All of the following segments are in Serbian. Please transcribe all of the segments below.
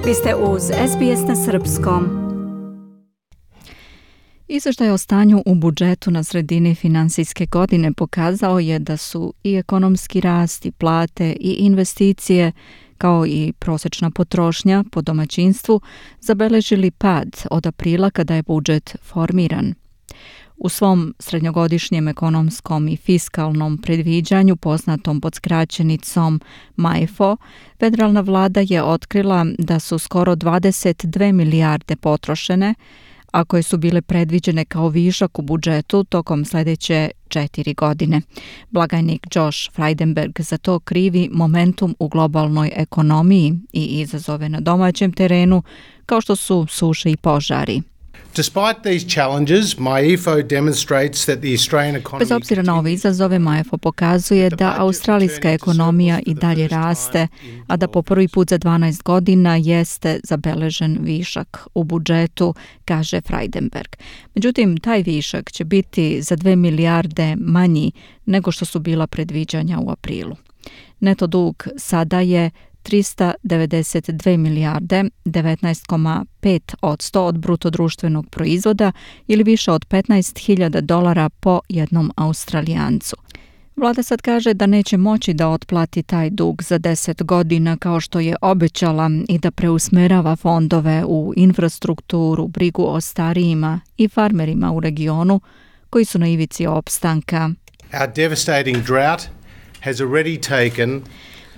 Vi ste uz SBS na srpskom. Izveštaj o stanju u budžetu na sredini finansijske godine pokazao je da su i ekonomski rast, i plate, i investicije, kao i prosječna potrošnja po domaćinstvu, zabeležili pad od aprila kada je budžet formiran. U svom srednjogodišnjem ekonomskom i fiskalnom predviđanju, poznatom pod skraćenicom MAEFO, federalna vlada je otkrila da su skoro 22 milijarde potrošene, a koje su bile predviđene kao višak u budžetu tokom sljedeće 4 godine. Blagajnik Josh Frydenberg za to krivi momentum u globalnoj ekonomiji i izazove na domaćem terenu, kao što su suše i požari. Bez obzira na ove izazove, MAEFO pokazuje da australijska ekonomija i dalje raste, a da po prvi put za 12 godina jeste zabeležen višak u budžetu, kaže Frydenberg. Međutim, taj višak će biti za 2 milijarde manji nego što su bila predviđanja u aprilu. Neto dug sada je 392 milijarde, 19,5% od bruto društvenog proizvoda ili više od $15.000 po jednom Australijancu. Vlada sad kaže da neće moći da otplati taj dug za 10 godina kao što je obećala i da preusmerava fondove u infrastrukturu, brigu o starijima i farmerima u regionu koji su na ivici opstanka. Our devastating drought has already taken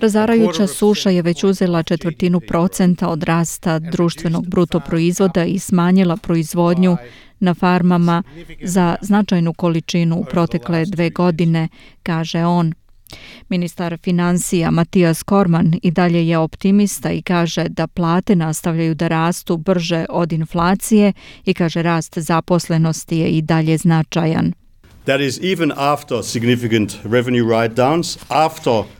Razarajuća suša je već uzela 1/4% od rasta društvenog bruto proizvoda i smanjila proizvodnju na farmama za značajnu količinu u protekle 2 godine, kaže on. Ministar financija Matthias Cormann i dalje je optimista i kaže da plate nastavljaju da rastu brže od inflacije i kaže rast zaposlenosti je i dalje značajan. That is even after significant revenue write-downs,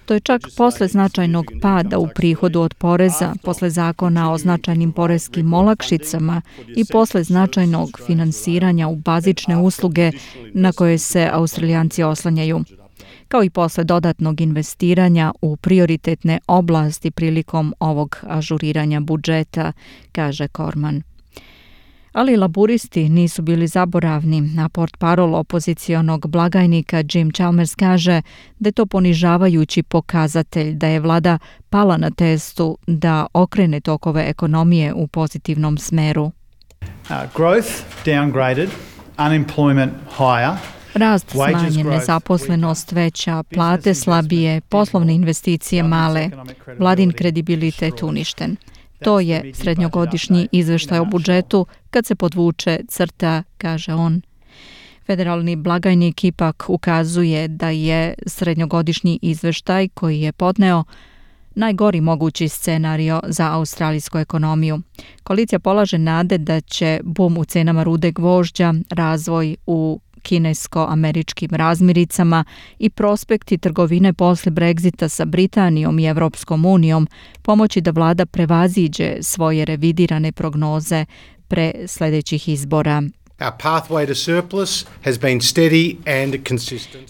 To je čak posle značajnog pada u prihodu od poreza, posle zakona o značajnim poreskim olakšicama i posle značajnog finansiranja u bazične usluge na koje se Australijanci oslanjaju, kao i posle dodatnog investiranja u prioritetne oblasti prilikom ovog ažuriranja budžeta, kaže Cormann. Ali laburisti nisu bili zaboravni, a portparol opozicionog blagajnika Jim Chalmers kaže da je to ponižavajući pokazatelj da je vlada pala na testu da okrene tokove ekonomije u pozitivnom smeru. Growth downgraded, unemployment higher. Rast smanjen, nezaposlenost veća, plate slabije, poslovne investicije male, vladin kredibilitet uništen. To je srednjogodišnji izveštaj o budžetu kad se podvuče crta, kaže on. Federalni blagajnik ipak ukazuje da je srednjogodišnji izveštaj koji je podneo najgori mogući scenario za australijsku ekonomiju. Koalicija polaže nade da će bum u cenama rude gvožđa, razvoj u kinesko-američkim razmiricama i prospekti trgovine posle Brexita sa Britanijom i Evropskom unijom pomoći da vlada prevaziđe svoje revidirane prognoze pre sljedećih izbora.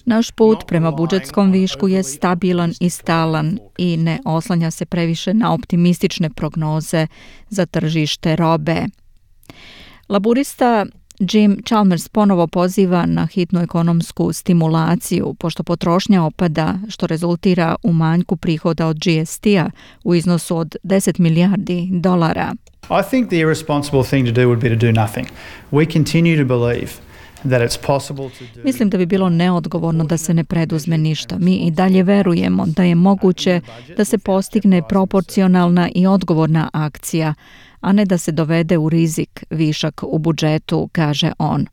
Naš put prema budžetskom višku je stabilan i stalan i ne oslanja se previše na optimistične prognoze za tržište robe. Laburista Jim Chalmers ponovo poziva na hitnu ekonomsku stimulaciju, pošto potrošnja opada, što rezultira u manjku prihoda od GST-a u iznosu od $10 milijardi. I think the irresponsible thing to do would be to do nothing. We continue to believe that it's possible to do. Mislim da bi bilo neodgovorno da se ne preduzme ništa. Mi i dalje verujemo da je moguće da se postigne proporcionalna i odgovorna akcija, a ne da se dovede u rizik višak u budžetu, kaže on.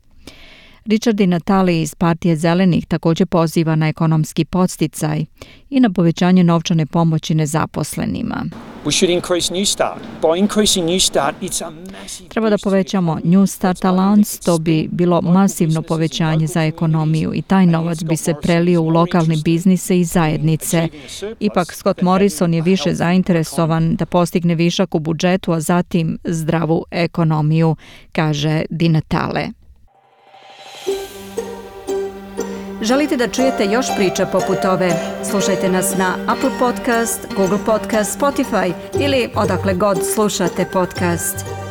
Richard Di Natale iz Partije zelenih također poziva na ekonomski podsticaj i na povećanje novčane pomoći nezaposlenima. Treba da povećamo New Start Allowance, to bi bilo masivno povećanje za ekonomiju i taj novac bi se prelio u lokalne biznise i zajednice. Ipak Scott Morrison je više zainteresovan da postigne višak u budžetu, a zatim zdravu ekonomiju, kaže Di Natale. Želite da čujete još priča poput ove? Slušajte nas na Apple Podcast, Google Podcast, Spotify ili odakle god slušate podcast.